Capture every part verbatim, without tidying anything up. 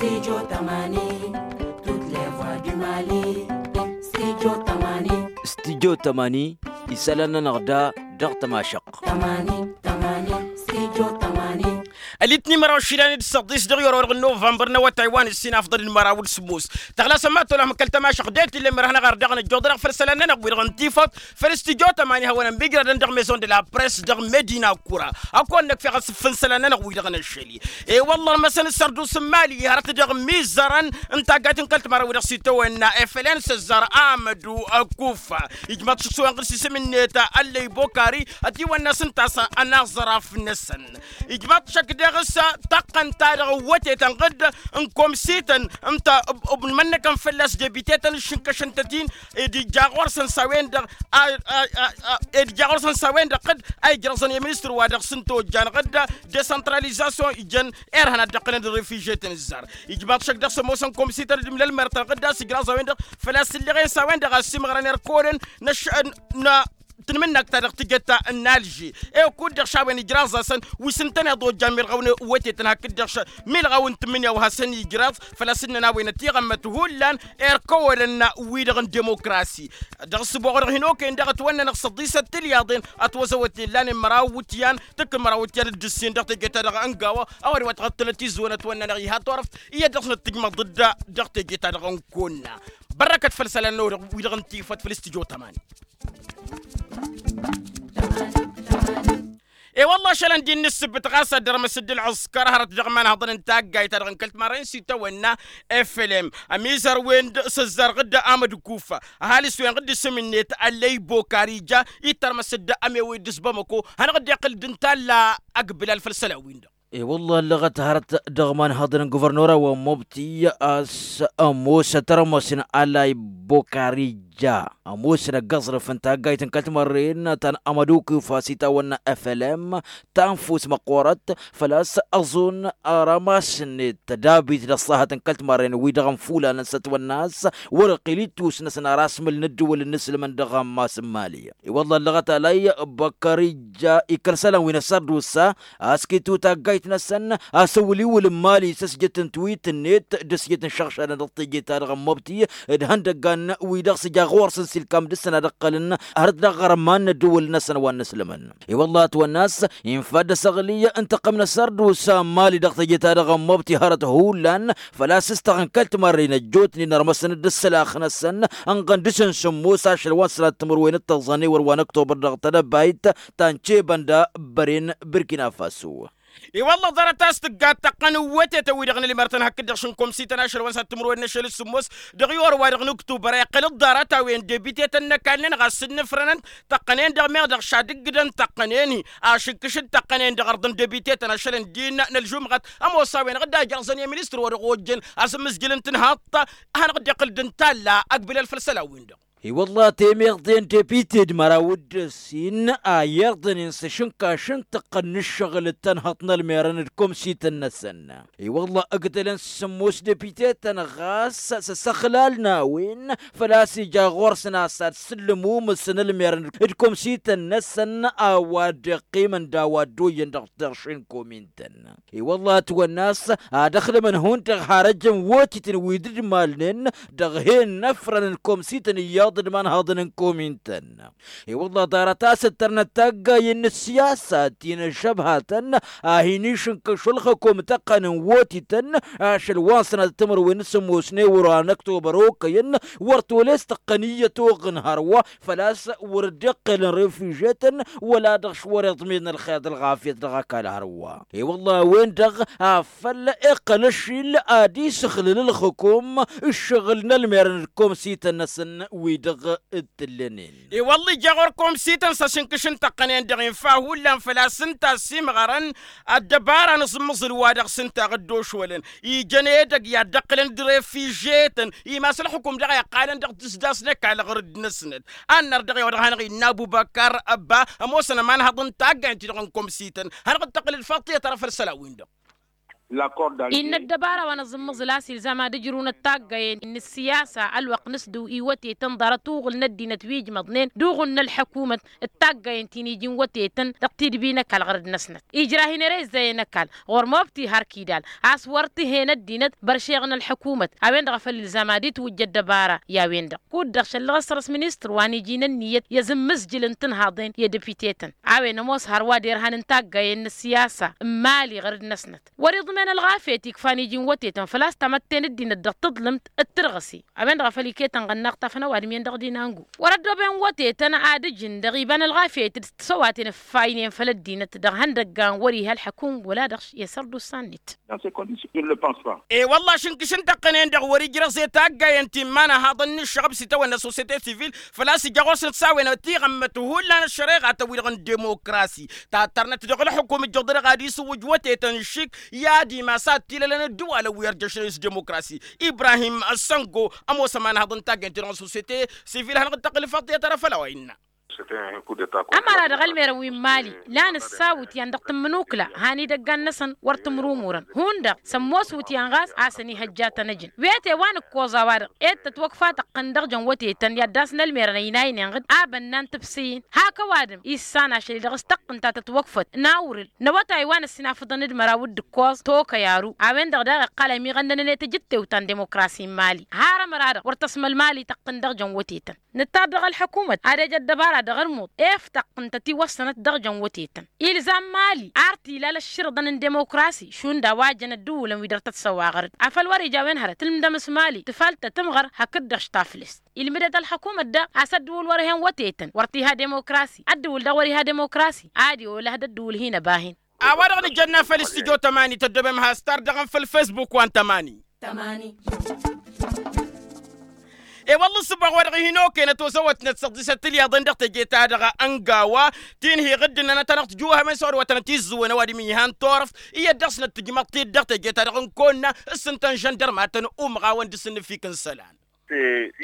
Studio tămani. Studio tămani isălan-nănăɣ da dăɣ-tămašăɣt. Ălitni măraw išilan d-săḍis dăɣ-i orăwăr n-novămbăr n-awătay wa n-ǝssin afḍăl n-măraw d-sǝmmos. Tăɣlasăm ma tolăm kăl-tămašăɣt det-illa mărhănăɣ ar dăɣ-năjjoḍănăɣ făll-isălan-nănăɣ wi-dăɣ n-tifăt făll-studio tămani hawăn-ămmigrădăn dăɣ-maison de la press dăɣ-medina kura. Ad-kăwăn-năkf iɣăs făll-isălan-nănăɣ wi-dăɣ n-ašăl-i. E-wălla ărmăsăn s-sărdu s-mali hărăt dăɣ-mizărăn n-taggayt n-kăl-timărăn wi-dăɣ s-itawănna efelen s-ăzzar amădu ăkkufa. Ijmaḍ šǝksǝwăn ɣǝr-s isǝm-net ăllăy bokari ătiwănna s-ǝnta a-s ănaẓraf-năsăn. Ijmaḍ šăkk dăɣ-s taqqăn-ta-dăɣ ăwwătetăn ɣǝdd n-komsităn ǝnta ǝbnǝmănnăkăn fălla-s debitetăn ǝššǝnkăšăn-tăt-in. Ed ija ɣur-săn s-a-wen-dăɣ ed ija ɣur-săn s-a-wen-dăɣ ɣǝdd a ijrăẓăn i-ministăr wa dăɣ-s n-tojjan ɣǝdd desăntralizasyon ijăn irhăn ad-dd-ǝqqǝlăn d-refižetăn ǝzzar. Ijmaḍ šăkk dăɣ-s ămoosăn komsităn d-imlălmărtăn ɣǝdd a-s ijraẓ a-wen-dăɣ făl-a-s ǝlleɣen s-a-wen-dăɣ a ăsimăɣrăn irkăwălăn n-ašăl n-tǝnmǝnnakt ta dăɣ-tǝjăt ta n-alži. Ewăkkud dăɣ-š a-wen ijraẓ-asăn wi s-ǝntăneḍ ojjan milɣaw n-wătetăn hakd-dăɣ š-milɣaw n-tǝmmǝnǝya wa hasăn-ijraẓ făl-a-s ǝnnăn a-wen ătiɣămmăt hullan irkăwălăn wi-dăɣ n-dimokrasi. Dăɣ-ǝssǝboɣ-dăɣ hin-okăyăn daɣ ătwănnănăɣ săḍisăt tilyaḍen ătwăzăwăt illan n-măraw iwǝtyan tǝkkǝn măraw iwǝtyan d-ǝssin dăɣ-teje-ta-dăɣ n-gawa. A-wa d-iwătăɣ ăttănăt izǝwăn ătwănnănăɣ iha turăft iyyăt dăɣ-snăt tǝjmăḍ-dd dăɣ-teje-ta-dăɣ n-kăwănna. Bărrăkăt făll-isălan-năwăɣ wi-dăɣ n-tifăt făll-stujo tămani. E-wălla ašăl ăndin n-ǝssǝbbǝt ɣas ad-dărmăs dd-ǝlɣǝskăr hărăt dăɣ-imanhăḍăn n-taggayt-ta-dăɣ n-kăl-timarren s-itawănna. Flm ămizăr-wen-dăɣ s-ăzzar ɣǝdda amăd kufa ăhalǝs-wen ɣǝdda isǝm-net ăllăy bokar ija ittărmăs dd-ămewăy d-s bamăko. Hanăɣ-dd-iqqǝl dd-ǝntalla ăgg bǝlal făll-isălan-win-dăɣ. E-wălla ăllăɣăt hărăt dăɣ-imanhăḍăn n-guvărnora wa n-mobti a-s ămoos ătrămăsăn ăllăy bokar ija ămoosăn ăgg aẓrǝf n-taggayt n-kăl-timărren ta n-amăd kufa s-itawănna flm ta n-fus măqqoorăt. Făl-a-s ăẓun rămas-net tădabit d-ăṣṣahăt n-kăl-timărren-wi-dăɣ n-fulan n-sătwănna a-s wăr-iqqǝl ittus-năsăn ar asmǝl n-ǝddǝwǝl n-inǝslǝmăn dăɣ-ammas n-mali. I-wălla ăllăɣăt alăy băkkăr ija ikăl isălan wi n-ăssărdusa a-s kitu taggayt-năsăn asǝwǝl-iwǝl n-mali s-ăsjăt n-twit-net d-ăsjăt n-išăɣšadăn dăɣ-teje-ta-dăɣ n-mobti d-ihăndăggan-wi-dăɣ s-ija ɣur-săn s-ilkam dăɣ-săn ad-ǝqqălăn hărăt dăɣ-iɣărman n-ăddǝwǝl-năsăn wa n-inǝslǝmăn. I-wălla ătwănna-s infa dd-asăɣli n-tăqqăm n-asărdusa n-mali dăɣ-teje-ta-dăɣ n-mobti hărăt hullan făl-a-s s-tăɣ n-kăl-timărren ăjjootnen ărmăsăn-dd ǝssǝlax-năsăn ǝnɣăn dăɣ-săn sǝmmos ašăl wa n-sănat timǝrwen d-tăẓẓan ewăr wa n-ăktobăr dăɣ-tedăbayt ta n-cebănda băren burkina faso. I-wălla ḍarăt a-s tǝgga tăqqăn n-wătetăn-wi-dăɣ n-ălmărtăn hakd-dăɣ šǝnkomsităn ašăl wa n-sănat timǝrwen n-ašăl d-sǝmmos dăɣ-i orwa-dăɣ n-ǝktubăr a iqqăl-dd ḍarăt-a-wen debite-tăn n-ăkall-nănăɣ a-s ǝnnǝfrănăn tăqqănen dăɣ-meɣ dăɣ-šadǝggǝdăn tăqqănen-i ašǝnkǝš d-tăqqănen dăɣ-ărḍ n-debite-tăn ašăl ǝndin n-ălžumɣăt. Ămoos a-wen-dăɣ dd-ajrăẓăn i-ministăr wa dăɣ-ojjăn asǝmmǝzjǝl n-tǝnhaḍt hanăɣ-dd-iqqǝl d-ǝntalla ăgg bǝlal făll-isălan-win-dăɣ. I-wălla temeḍe n-debite d-măraw d-ǝssin a iyyărḍănen s-ašǝnkaš n-tăqqăn n-ǝššăɣǝl d-tănhăḍt n-ălmerăn d-komsităn-năsăn. I-wălla ǝgdălăn s-sǝmmos debite-tăn ɣas s-asăxlal n-a-wen făl-a-s ija ɣur-săn a-s ad-sǝllǝm umǝs n-ălmerăn d-komsităn-năsăn a-wa dd-iqqimăn d-a-wa dd-oyyăn dăɣ-terše n-komin-tăn. I-wălla ătwănna a-s ad-ăxdămăn hundăɣ har ăjăn wotităn wi dd-malnen dăɣ-hen n-afrăn n-komsităn iyyăḍ d-imanhăḍăn n-komin-tăn. I-wălla ḍarăt a-s ǝttărnăt taggayen n-ǝssiyasa ti n-ăššăbhatăn a hin-išǝnkăš ălxǝkum tăqqăn n-wotităn ašăl wa n-sănatăt timǝrwen s-ămoosnen wăr-wa n-ăktobăr okăyăn wăr tolăs tăqqăn iyyăt oɣǝn hărwa făl-a-s wăr dd-iqqelăn refižetăn wăla dăɣ-š wăr-iḍmedăn ălxer d-ălɣafyăt dăɣ-ăkall hărwa. I-wălla a-wen-dăɣ afăl iqqăl ăššil ad-isǝxlǝl ǝlxǝkum ǝššăɣǝl n-ălmerăn d-komsităn-năsăn wi-dăɣ t-ǝllănen. I-wălla ija ɣur-komsităn s-asǝnkǝš n-tăqqănen-dăɣ infa hullan făl-a-s ǝnta a ăsimɣărăn ăddăbara n-aẓǝmmăẓǝl wa dăɣ-s ǝnta a dd-ošolăn ijăn edăgg i-ad-dd-ăqqǝlăn d-refižetăn. Imas ălxǝkum daɣ a iqqalăn dăɣ-tǝsdas n-ăkall ɣur-dd-năsnăt. Annăr dăɣ-i-wa dăɣ-hanăɣ-innă ăbubăkar ăbba ămoosăn ămanhăḍ n-taggaynt-ti-dăɣ n-komsităn. Hanăɣ-dd-tăqqǝl d-faṭṭiyăt ara făll-isălan-win-dăɣ. Innă ăddăbara wa n-aẓǝmmǝẓǝl a-s ilzam ad-ǝjrǝwnăt taggayen n-ǝssiyasa ălwăqq n-asdǝw iwătetăn ḍarăt uɣǝl n-ăddinăt wi ǝjmăḍnen d-uɣǝl n-ălḥăkumăt d-taggayen ti n-iji n-wătetăn dăɣ-tidbi n-ăkall ɣărăd-năsnăt ijrah-in ere izzăyăn ăkall ɣur-mobti har kidal a-s wăr t-hen ăddinăt băršeɣ n-ălḥăkumăt. A-wen-dăɣ a făl ilzam ad-itwǝjja ăddăbara i-a-wen-dăɣ kud-dăɣ šăllăɣ-s săr-s ministăr wa n-iji n-ǝnniyăt i-azǝmmǝzjǝl n-tǝnhaḍen i-depiten a-wen ămoos hărwa derhan n-taggayen n-ăssiyasa n-imali ɣărăd-năsnăt wăr-iḍmen ălɣafyăt ikfan iji n-wătetăn făl-a-s tamătte n-ăddinăt dăɣ-taḍlǝmt d-tărɣǝse. A-wen-dăɣ a făl iket ănɣănnaɣ tafănăwadǝm-en dăɣ-dinangu wăr-ăddooben wătetăn ad-ǝjǝn dăɣ-iba n-ălɣafyăt d-tisăwaten ǝffaynen făll-ăddinăt dăɣ-ihăndăggan wăr-iha ălḥăkum wăla dăɣ-s i-sărdusa-net. E-wălla ašǝnkǝš n-tăqqănen-dăɣ wăr-ijrăẓ i-taggayen ti n-imanăhaḍăn n-ǝššăɣăb s-itawănna sosyete sivil făl-a-s ija ɣur-săn s-a-wen tiɣămmăt hullan ăššăreɣatăn-wi-dăɣ n-demokrasi tattărnăt dăɣ-ălxukum ǝjjăḍ-dăɣ ad-isǝwwǝj wătetăn šik i-ad-imas ad-t-ilălăn ăddǝwalăn wi ărjăšnen s-demokrasi. Ibrahim săngo ămoos ămanăhaḍ n-taggayen-ti-dăɣ n-sosyete sivil hanăɣ-dd-tăqqǝl făḍḍiyăt ara făll-a-wa innă. Ămăra-dăɣ ălmerăn wi n-imali lan ǝssa iwǝtyan dăɣ-tǝmmǝnukla han idăggan-năsăn wăr t-ǝmrumurăn hundăɣ s-ămoos iwǝtyan ɣas a-s ănihăjja ad-tăn-ăjǝn wi ete wa nǝkkoẓ a-wa-dăɣ ed tătwăkfa tăqqǝn dăɣ-jăn wătetăn i-ad-dd-asnălmerăn ăynaynen ɣǝd a bănnan tǝbsǝyǝn hak ăwadǝm issan ašăl-i dăɣ-s tăqqǝn ta tătwăkfăt n-awrǝl n-awătay wa n-ăssinafăḍăn d-măraw d-ǝkkoẓ tokăy aru. A-wen-dăɣ daɣ iqqal ămiɣănnănăn i-tajǝttewt ta n-demokrasi n-imali har ămăra-dăɣ wăr tăsmăl imali tăqqǝn dăɣ-jăn wătetăn. Nǝttar dăɣ-ălḥăkumăt ad-ej ăddăbara dăɣ-ălmuḍ ef tăqqǝntăt iwăssănăt dăɣ-jăn wătetăn ilzam imali ar t-ilal ăšširǝḍăn n-demokrasi šund a-wa jăn ăddǝwǝlăn wi dăr-tăt-săwaɣărăd afăl wăr-ija a-wen hărăt tǝlmǝdăm s-imali tǝfaltăt ǝmɣăr hakd-dăɣ-š taflǝst. Ilmǝdăt ălxăkumăt daɣ a-s ăddǝwǝl wăr-hen wătetăn wăr t-iha demokrasi ăddǝwǝl dăɣ-wăr iha demokrasi ad-iwǝlăh d-ăddǝwǝl hin-ăba-hin. A-wa-dăɣ nǝjănna făll-s tijot ămani tăddobem has-tardăɣăm făll-fesbuk wa n-tămani. E-wălla ǝssǝboɣ-wa-dăɣ hin-okenăt ozăwătnăt săḍisăt tǝlyaḍăn dăɣ-teje-ta-dăɣ ăngawa ti n-hi-iɣǝddǝnnăn ad-tanăɣ-tǝjǝwhămen s-ăwadǝm-i han turăft iyyăt dăɣ-snăt tǝjmăḍ-t-dd dăɣ-teje-ta-dăɣ n-kăwănna s-ǝntăn žăndărmatăn umɣawăn d-asǝnnǝfik n-isălan.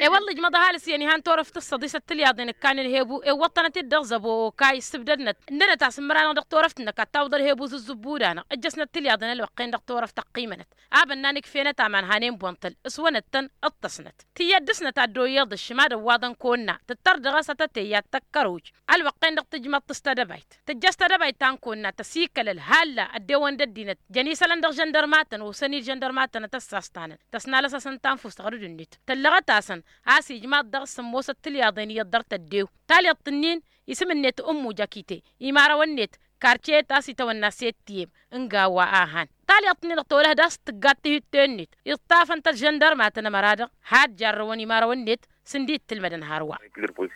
E-wălla ijmăḍ ăhalǝs iyyăn ihan turăft s-săḍisăt tǝlyaḍen ǝkkan ǝlhebu ewwăḍ-tănăt-dd dăɣ-zăbo okay ǝssǝbdădnăt ǝndănăt a-s ǝmmăra-năɣ dăɣ-turăft-năk ad-tawǝḍ ălhebu zǝzzǝbbu-da-năɣ ǝjjăsnăt tǝlyaḍen ălwăqq-en dăɣ-turăft ăqqimănăt a bănnan ǝkf'-enăt aman hanen buntăl s-wănăt-tăn ǝṭṭăsnăt tiyyăt dăɣ-snăt a dd-oyyeḍ ǝššǝm ad-ăwwaḍăn kăwănna tǝttăr dăɣ-s atătey i-ad-tăkkăruj. Ălwăqq-en-dăɣ tǝjmăḍ-t s-tedăbayt tǝjjăš tedăbayt ta n-kăwănna tăsikălăl halla ăddewăn d-ăddinăt jăn isălăn dăɣ-žăndărmatăn osăn-dd žăndărmatăn ad-tăssastănăn tăsnalăs-asăn tanfust ɣur-dd-net tăllăɣăt-asăn a-s ijmaḍ dăɣ-s ămoosăt tǝlyaḍen iyyăḍ dăr-tăddew. Talyaḍt-ǝnnin isǝm-net ǝmmu jakite imarăwăn-net karce-et a-s itawănna s-ettiyem n-gawwa a han talyaḍt-ǝnnin-dăɣ tolăh d-a-s tǝggat tihǝtte-net iṭṭafăn-tăt žăndărmatăn ămăra-dăɣ had jarrăwăn imarăwăn-net. Sǝndi d-tǝlmădăn hărwa.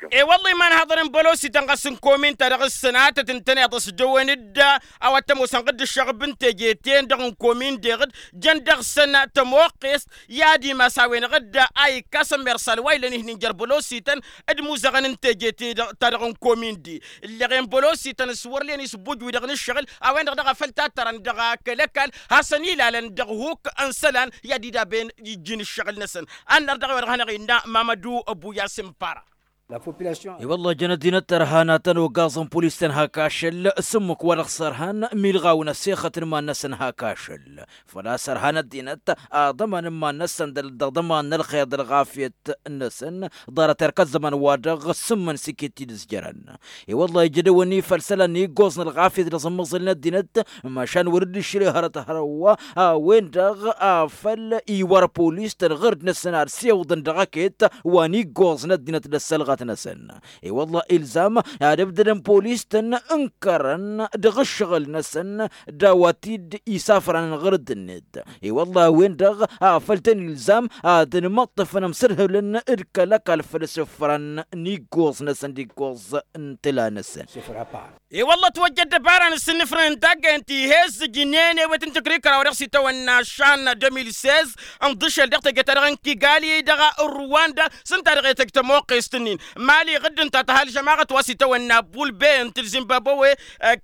E-wălla imanhaḍăn n-bălosităn ɣas n-komin-ta-dăɣ ǝssănatăt ǝntăneḍ ăsdăwăn-dd a-wa t-ămoosăn ɣǝdd ǝššăɣǝb n-teje-ten-dăɣ n-komin deɣ-dd jăn dăɣ-săn tămoqqest i-ad-imas a-wen-dăɣ dd-a ikkas ămmersal wa ilăn ihnin jer-bălosităn d-imuzăɣăn n-teje-te-dăɣ ta-dăɣ n-komin-de. Ǝlleɣen bălosităn s-wăr len isǝbbuj-wi-dăɣ n-ǝššăɣǝl a-wen-dăɣ daɣ a făl tattărăn dăɣ-kăl-ăkall hasăn-ilalăn dăɣ-huk n-isălan i-ad-idaben ijjin ǝššăɣǝl-năsăn. Ănnăr dăɣ-i-wa dăɣ-hanăɣ-innă mamădu ăbuyas n-para. I-wălla jăn ăddinăt tărhanatăn ogaẓăn pulis-tăn hak ašăl s-ǝmmǝk wa dăɣ-sărhan milɣaw n-ăssexăt n-iman-năsăn hak ašăl. Făl-a-s ărhan ăddinăt aḍăman n-iman-năsăn dăɣ-ḍăman n-ălxer d-ălɣafyăt-năsăn ḍarăt erk ăzzăman wa dăɣ-sǝmmǝn s-iket-t-dd-ǝzjărăn. I-wălla ija dăɣ-wăn-ifăl isălan iggoẓ n-ălɣafyăt dăɣ-sǝmmăẓǝl n-ăddinăt mašan wăr dd-išrǝy hărăt hărwa a-wen-dăɣ a făl iwar polis-tăn ɣǝrd-năsăn ad-siwǝḍăn dăɣ-ăket wa n-iggoẓ n-ăddinăt d-ăssălɣăt-năsăn. I-wălla ilzam ad-ǝbdădăn polis-tăn ǝnkărăn dăɣ-ǝššăɣǝl-năsăn d-a-wa t-dd-isafrăn ɣǝrǝd-net. I-wălla a-wen-dăɣ a făl tăn-ilzam ad-ănmăṭṭăfăn ămsărhǝlăn d-kăl-ăkall făll-asǝfran n-iggoẓ-năsăn d-iggoẓ n-tǝla-năsăn. I-wălla ătwăjja ăddăbara n-asǝnnǝfrăn n-taggayen ti he-ǝzzǝjnen ewet n-tǝkrikăra wa dăɣ-s itawănna šan deux mille seize ǝnḍǝšel dăɣ-teje-ta-dăɣ n-kigali dăɣ-ruwanda s-ǝnta dăɣ-e tăj tămoqqest-nin. Mali ɣǝdd ǝnta tăha ălžămaɣăt wa s-itawănna bulbe ǝnta d-zimbabwe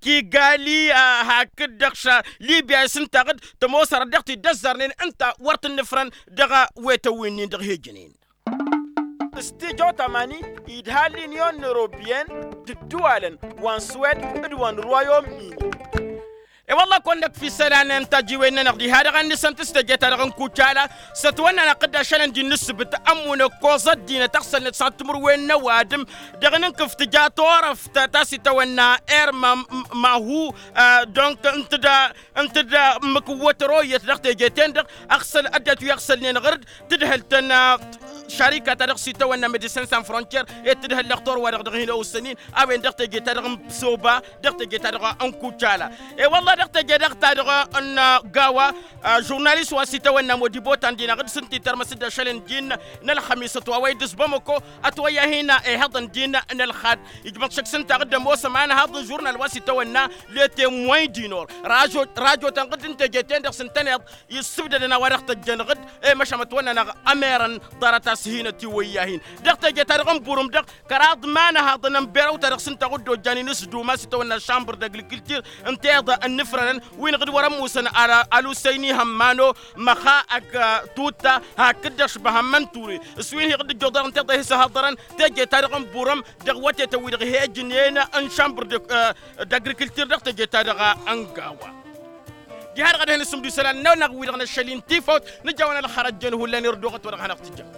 kigali hakd-dăɣ ša libya s-ǝnta ɣǝdd tămoos hărăt dăɣ-t-dd-ăzzărnen ǝnta wăr t-ǝnnǝfrăn dăɣ-wetăn wi-nin dăɣ-he-ǝjǝnen. S-tijo tămani idha l-inyon n-europyen d-ǝddǝwalăn wa n-swed d-wa n-rwayom-nin. E-wălla-kăwăn-năkf isălan n-tajiwen-nănăɣ diha-dăɣ ad-nǝsǝnt s-teje-ta-dăɣ n-kucala s-ătwănna n-aqqǝddašălăn d-innǝssǝbǝt ămmunăk koẓăt dinăt ăɣsălnet s-ad-timǝrwen n-ăwadǝm dăɣ-nǝnkǝf tǝja turăft ta s-itawănna erma mahu. Donc ǝnta d-ǝmmǝk n-wătăro iyyăt dăɣ-teje-ten-dăɣ ăɣsăl ăddinăt wi ăɣsălnen ɣăr-dd tǝdhăl-tăn šarika-ta-dăɣ s-itawănna medicin sans frontier i-tǝdhăl lăxtor-wa-dăɣ dăɣ-hin-ăwǝssăn-in a-wen dăɣ-teje-ta-dăɣ n-psoba dăɣ-teje-ta-dăɣ n-kucala. E-wălla dăɣ-teje-dăɣ-ta-dăɣ n-gawa žurnalist wa s-itawănna modibo ta n-dinăɣ d-sǝnti tărmăs-dd ašăl n-din n-ălxămisăt wa wa idǝs bamăko ătwăyya hin-ihăḍăn din n-ălxad ijmăḍ šăkk s-ǝnta ɣǝdd ămoosăm anhăḍ n-žurnal wa s-itawănna le temwăy dinor rajo-tăn ɣǝdd n-teje-ten-dăɣ s-ǝntăneḍ issǝbdădăn a-wa dăɣ-tăjjăn ɣǝdd. I-măšan ătwănna-năɣ ămerăn ḍarăt-as hinăt i-wăyya-hin dăɣ-teje-ta-dăɣ n-burǝm-dăɣ kăraḍ imanăhaḍăn n-berăw-ta-dăɣ s-ǝnta ɣǝddo ăjjan-in s-duma s-itawănna šambăr d-agrikiltir n-tiḍa ănnǝfrănăn wi n-iɣǝd wăr-ămmusăn. Alusăyni hămmano măxaq tutta hakd-dăɣ šbăhăn mănture s-wi n-hi-iɣǝd ǝjjoḍărăn tiḍa hi-săhăḍărăn teje-ta-dăɣ n-burǝm dăɣ-wătetăn wi-dăɣ he-ǝjnen n-šambăr d-agrikiltir dăɣ-teje-ta-dăɣ n-gawa. Diha-dăɣ ad-hin-ǝssǝmdu isălan-nănăɣ wi-dăɣ n-ašăl-i n-tifawt nǝjawăn ălxărăjjăn hullan irduɣăt wa dăɣ-hanăɣ-tǝjjăm.